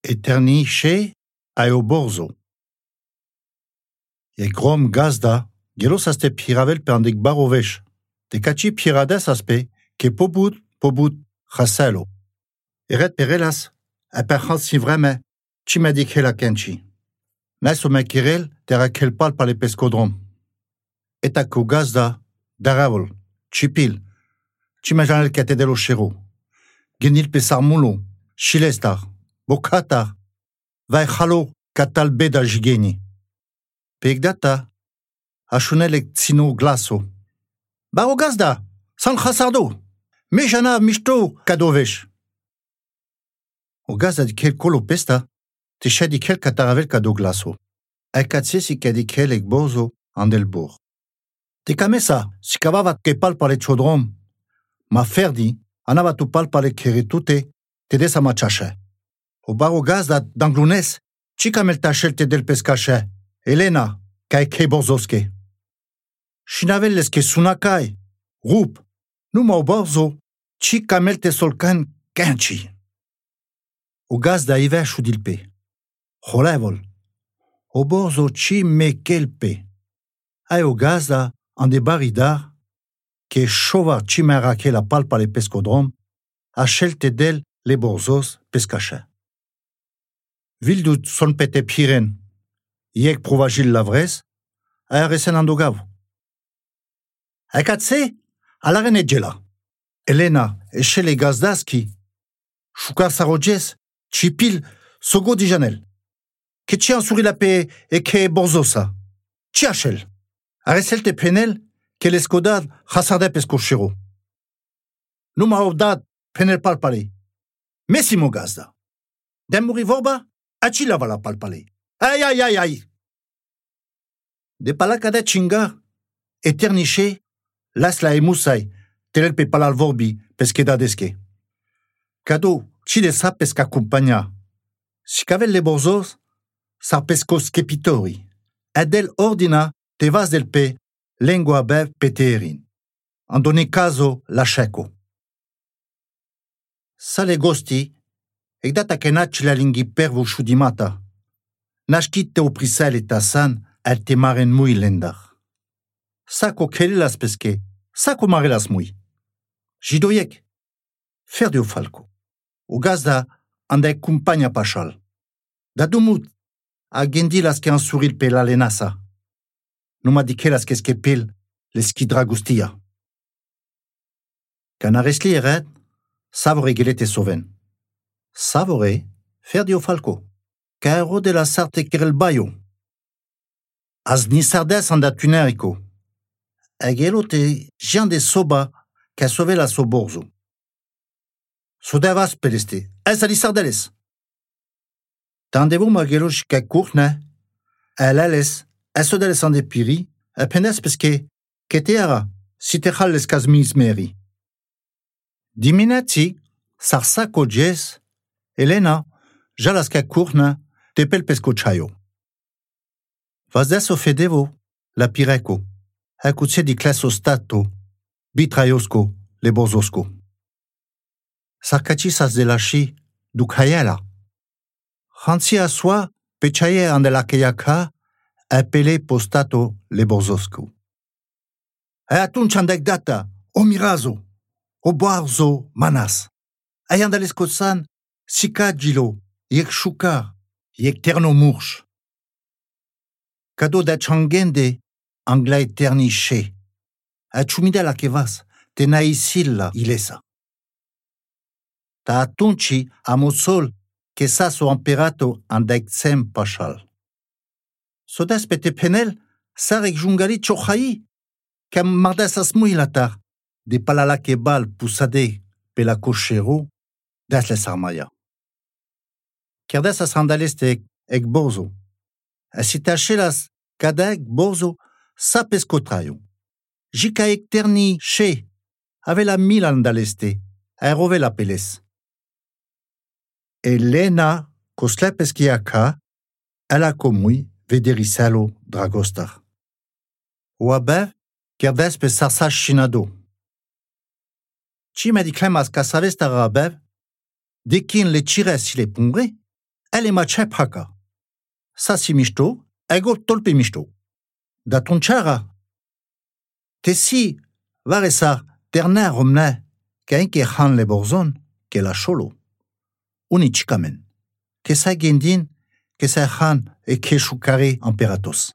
Eternice aeo borzo. E grom gazda, gelos aste piravel pe andek barovech. Te kachi pirades aspe, ke pobut chaselo. Eret perelas, a perchant si vreme, chi medik hela kenchi. Nes o mekirel, tera kelpal par le pescodrom. Eta ko gazda, daravol, chipil, chi mejanel katedelo chero. Genil pe sarmulo, chilestar, bokatar, vai chalo katal beda jigeni. Pek data, achunelek tsino glaso. Baro gazda, san chasardo, me jana mishto kadovech. O gazda di kel kolo pesta, te di kel kataravel kado glaso. E katse si kadikel ek bozo andel bor. Te kamesa, si kavavat kepal par le chodrom, ma ferdi, anavat upal par le keretute, te desa ma chache. O baro gazda d'anglunes, chi kamel tachel te del pescache. Elena, kai ke borzoske. Shinavel leske sunakai, rup, numa o borzo, chi kamel te solkan kenchi. O gazda iver chudilpe. Cholevol. O borzo chi me kelpe. Ai o gazda ande baridar, ke chovar chi merake la palpa le pescodrom, achel te del le borzos pescache. Vildut son pete piren, iek provagil lavres, a resen andogav. Ekatse, alaren edjela. Elena, echele gazdaski, chukar sarojes, chipil, sogo di janel. Ke chi ansuri la pe e ke borzosa. Chi achel. Aresel te penel, ke l'eskodad chasarde pescochero. Numa ovdad penel palpale. Messimo gazda. Demuri vorba, achi lava la palpale. Aïe, aïe, aïe, aïe. De palakade chingar, eterniche, las la emusai, telel pe palal vorbi, pesqueda deske. Kado, chi de sa pesca compagna. Si cavel le borzos, sa pesco skepitori. Edel ordina, te vas del pe, lengua bev peterin. Andone caso la checo. Sale gosti, ec data kenac la lingui pervo chudimata. Nashkit te oprisel et tasan, el te maren mui lendar. Sako kelelas peske, sako marelas mui. Jidoyek, fer de falco. O gazda, ande kumpanya pachal. Da dumut, a gendilas ke ansuril pe la lenasa. Numa dikelas keske pel, leski dragustia. Canaresli eret, savore gelete soven. Savore, fer de falco. Caero de la sarte kerel bayo. Az nisardes anda tunerico. Egelo te jean de soba ca sove la soborzo. Sodavas peleste, ez ali sardeles. Tandevo magelo chica courne, elales, esodeles ande piri, pendes peske, keteara, si te chal les kazmiz meri. Diminati, sarsako jes, Elena, jalas ca courne, tepel pesco chayo. Vazdes o fedevo, la pireco, acutse di classo stato, bitraiosco, le borzosco. Sarcacisas de la chi, du cayela. Hansi a soi, pechaye ande la keyaka, appelé postato le borzosco. Atun chandek data, o mirazo, o borzo manas. Ayandalescosan, sicagilo, yek chukar, yek terno murch. Cado da changende, angla eterniche. A chumida la kevas, te naisilla ilesa. Ta atunci amosol, que sa so imperato andexem pachal. Sodas pete penel, sarek jungali chochayi, kam mardas asmuilatar, de palala kebal pusade, pela cochero, das les armaya. Kerdas as andaleste ek bozo. Asitachelas kadek bozo sa pescotrayo. Jika ek terni che, ave la mil andaleste, aerove la peles. Elena kosle peskiaka, ala komui vederisalo dragostar. Oabev, kerdas pe sarsa chinado. Chi mediclemas casavesta rabev, dekin le chires si le pongre, ele mace paka. Sa si mișto, ego tolpe mișto. Da tunchara. Te si, vare sa, terne romne, ca enke han le borzon, ke la cholo. Uni chikamen. Ke sa gendin, ke sa han e ke shukare imperatos.